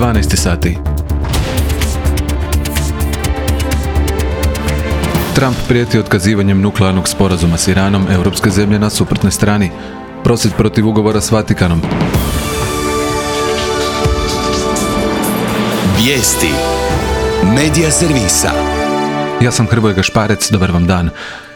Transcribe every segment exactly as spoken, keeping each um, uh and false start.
dvanaest sati. Trump prijeti otkazivanjem nuklearnog sporazuma s Iranom, europske zemlje na suprotnoj strani. Prosvjed protiv ugovora s Vatikanom. Vijesti Medija servisa. Ja sam Hrvoje Gašparec, dobar vam dan.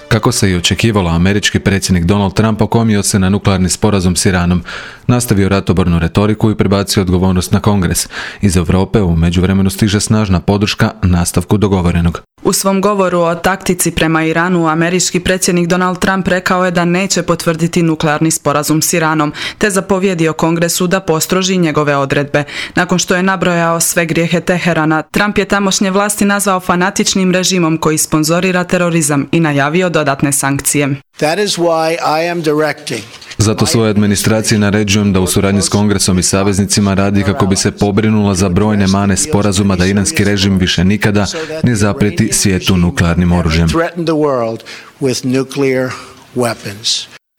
Kako se i očekivalo, američki predsjednik Donald Trump okomio se na nuklearni sporazum s Iranom, nastavio ratobornu retoriku i prebacio odgovornost na Kongres. Iz Europe u međuvremenu stiže snažna podrška nastavku dogovorenog. U svom govoru o taktici prema Iranu, američki predsjednik Donald Trump rekao je da neće potvrditi nuklearni sporazum s Iranom, te zapovjedio Kongresu da postroži njegove odredbe. Nakon što je nabrojao sve grijehe Teherana, Trump je tamošnje vlasti nazvao fanatičnim režimom koji sponzorira terorizam i najavio dodatne sankcije. That is why I am directing. Zato svojoj administraciji naređujem da u suradnji s Kongresom i saveznicima radi kako bi se pobrinula za brojne mane sporazuma da iranski režim više nikada ne zaprijeti svijetu nuklearnim oružjem.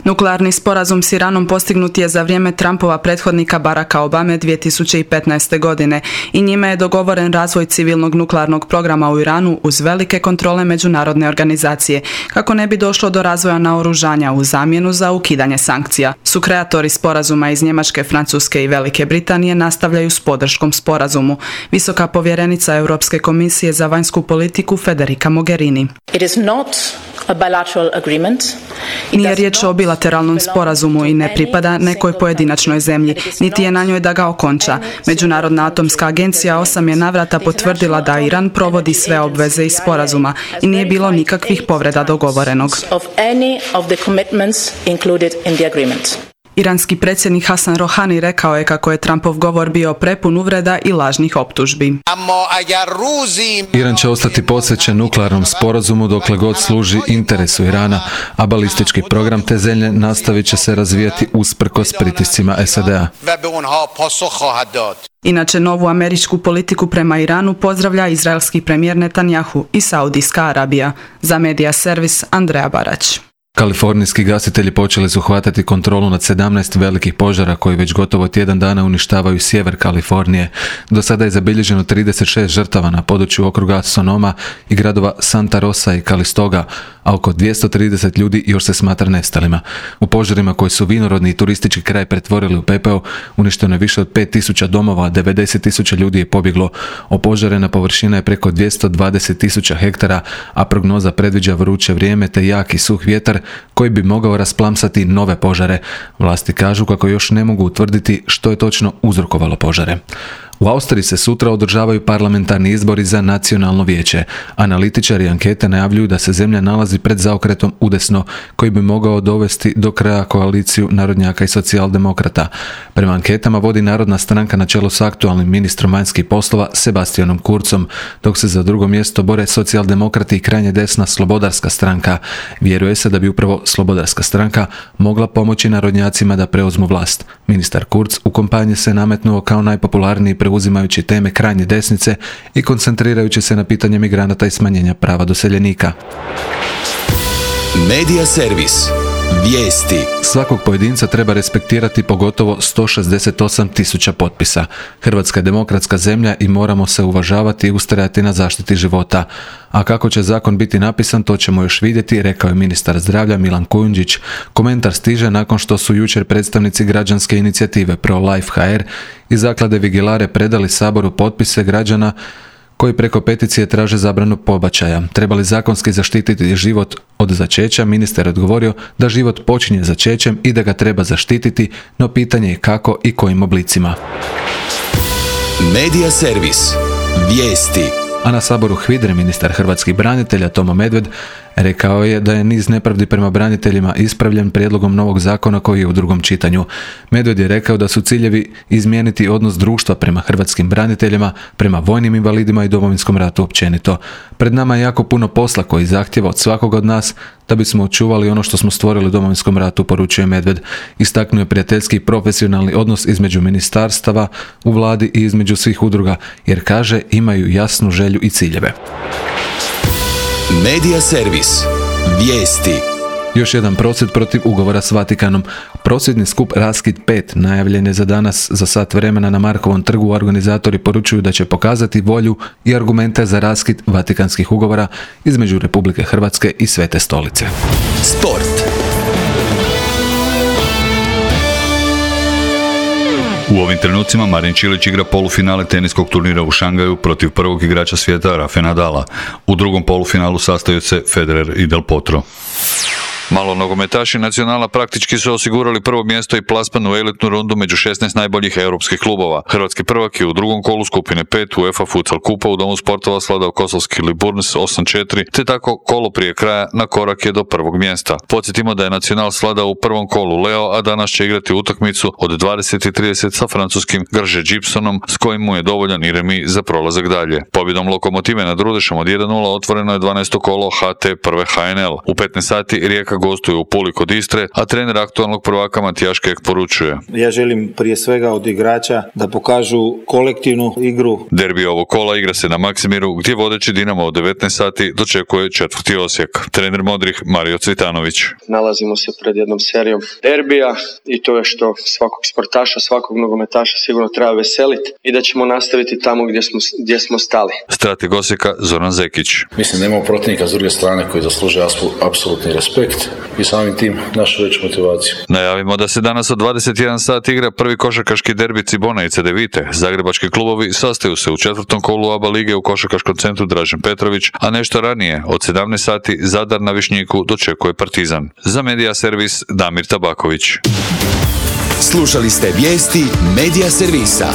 Nuklearni sporazum s Iranom postignut je za vrijeme Trumpova prethodnika Baracka Obame dvije tisuće petnaeste. godine i njime je dogovoren razvoj civilnog nuklearnog programa u Iranu uz velike kontrole međunarodne organizacije, kako ne bi došlo do razvoja naoružanja u zamjenu za ukidanje sankcija. Sukreatori sporazuma iz Njemačke, Francuske i Velike Britanije nastavljaju s podrškom sporazumu. Visoka povjerenica Europske komisije za vanjsku politiku Federica Mogherini. It is not a bilateral agreement. Nije riječ o bilateralnom sporazumu i ne pripada nekoj pojedinačnoj zemlji, niti je na njoj da ga okonča. Međunarodna atomska agencija osam je navrata potvrdila da Iran provodi sve obveze iz sporazuma i nije bilo nikakvih povreda dogovorenog. Iranski predsjednik Hasan Rohani rekao je kako je Trumpov govor bio prepun uvreda i lažnih optužbi. Iran će ostati posvećen nuklearnom sporazumu dokle god služi interesu Irana, a balistički program te zemlje nastavit će se razvijati usprkos pritiscima S A D-a. Inače, novu američku politiku prema Iranu pozdravlja izraelski premijer Netanjahu i Saudijska Arabija. Za Medija servis Andreja Barać. Kalifornijski gasitelji počeli su hvatati kontrolu nad sedamnaest velikih požara koji već gotovo tjedan dana uništavaju sjever Kalifornije. Do sada je zabilježeno trideset šest žrtava na području okruga Sonoma i gradova Santa Rosa i Calistoga, a oko dvjesto trideset ljudi još se smatra nestalima. U požarima koji su vinorodni i turistički kraj pretvorili u pepeo, uništeno je više od pet tisuća domova, a devedeset tisuća ljudi je pobjeglo. Opožarena površina je preko dvjesto dvadeset tisuća hektara, a prognoza predviđa vruće vrijeme te jak i suh vjetar koji bi mogao rasplamsati nove požare. Vlasti kažu kako još ne mogu utvrditi što je točno uzrokovalo požare. U Austriji se sutra održavaju parlamentarni izbori za nacionalno vijeće. Analitičari ankete najavljuju da se zemlja nalazi pred zaokretom udesno koji bi mogao dovesti do kraja koaliciju narodnjaka i socijaldemokrata. Prema anketama vodi Narodna stranka na čelu s aktualnim ministrom vanjskih poslova Sebastianom Kurzom, dok se za drugo mjesto bore socijaldemokrati i krajnje desna Slobodarska stranka. Vjeruje se da bi upravo Slobodarska stranka mogla pomoći narodnjacima da preuzmu vlast. Ministar Kurz u kampanji se nametnuo kao najpopularniji preuzimajući teme krajnje desnice i koncentrirajući se na pitanje migranata i smanjenja prava doseljenika. Medija servis. Vijesti. Svakog pojedinca treba respektirati, pogotovo sto šezdeset osam tisuća potpisa. Hrvatska je demokratska zemlja i moramo se uvažavati i ustrajati na zaštiti života. A kako će zakon biti napisan, to ćemo još vidjeti, rekao je ministar zdravlja Milan Kujundžić. Komentar stiže nakon što su jučer predstavnici građanske inicijative Pro-Life H R i zaklade Vigilare predali Saboru potpise građana koji preko peticije traže zabranu pobačaja. Treba li zakonski zaštititi život od začeća? Ministar je odgovorio da život počinje začećem i da ga treba zaštititi, no pitanje je kako i kojim oblicima. Medija servis. Vijesti. A na Saboru HVIDRE ministar hrvatskih branitelja Tomo Medved rekao je da je niz nepravdi prema braniteljima ispravljen prijedlogom novog zakona koji je u drugom čitanju. Medved je rekao da su ciljevi izmijeniti odnos društva prema hrvatskim braniteljima, prema vojnim invalidima i Domovinskom ratu općenito. Pred nama je jako puno posla koji zahtjeva od svakog od nas da bismo očuvali ono što smo stvorili u Domovinskom ratu, poručuje Medved. Istaknuo je prijateljski i profesionalni odnos između ministarstava u vladi i između svih udruga, jer kaže imaju jasnu želju i ciljeve. Medija servis. Vijesti. Još jedan prosvjed protiv ugovora s Vatikanom. Prosvjedni skup Raskid pet najavljen je za danas za sat vremena na Markovom trgu. Organizatori poručuju da će pokazati volju i argumente za raskid vatikanskih ugovora između Republike Hrvatske i Svete Stolice. Sport. U ovim trenucima Marin Čilić igra polufinale teniskog turnira u Šangaju protiv prvog igrača svijeta Rafe Nadala. U drugom polufinalu sastaju se Federer i Del Potro. Malo nogometaši Nacionala praktički su osigurali prvo mjesto i plasman u elitnu rundu među šesnaest najboljih europskih klubova. Hrvatski prvak je u drugom kolu skupine pet UEFA Futsal Kupa u Domu sportova sladao kosovski Liburnis osam četiri, te tako kolo prije kraja na korak je do prvog mjesta. Podsjetimo da je Nacional sladao u prvom kolu Leo, a danas će igrati utakmicu od dvadeset i trideset sa francuskim Grže Gibsonom, s kojim mu je dovoljan i remi za prolazak dalje. Pobjedom Lokomotive nad Rudešom od jedan nula otvoreno je dvanaesto kolo H T prve H N L. U petnaest sati Rijeka gostuje u Puli kod Istre, a trener aktualnog prvaka Matijaš Kek poručuje: Ja želim prije svega od igrača da pokažu kolektivnu igru. Derbi ovog kola igra se na Maksimiru, gdje vodeći Dinamo od devetnaest sati dočekuje četvrti Osijek. Trener modrih Mario Cvitanović: Nalazimo se pred jednom serijom derbija i to je što svakog sportaša, svakog nogometaša sigurno treba veseliti i da ćemo nastaviti tamo gdje smo, gdje smo stali. Strateg Osijeka Zoran Zekić: Mislim da imamo protivnika s druge strane koji zaslužuje apsolutni respekt i samim tim našu veću motivaciju. Najavimo da se danas od dvadeset jedan sat igra prvi košarkaški derbi Cibona i Cedevite. Zagrebački klubovi sastaju se u četvrtom kolu A B A lige u košarkaškom centru Dražen Petrović, a nešto ranije od sedamnaest sati Zadar na Višnjiku dočekuje Partizan. Za Medija servis Damir Tabaković. Slušali ste vijesti Medija servisa.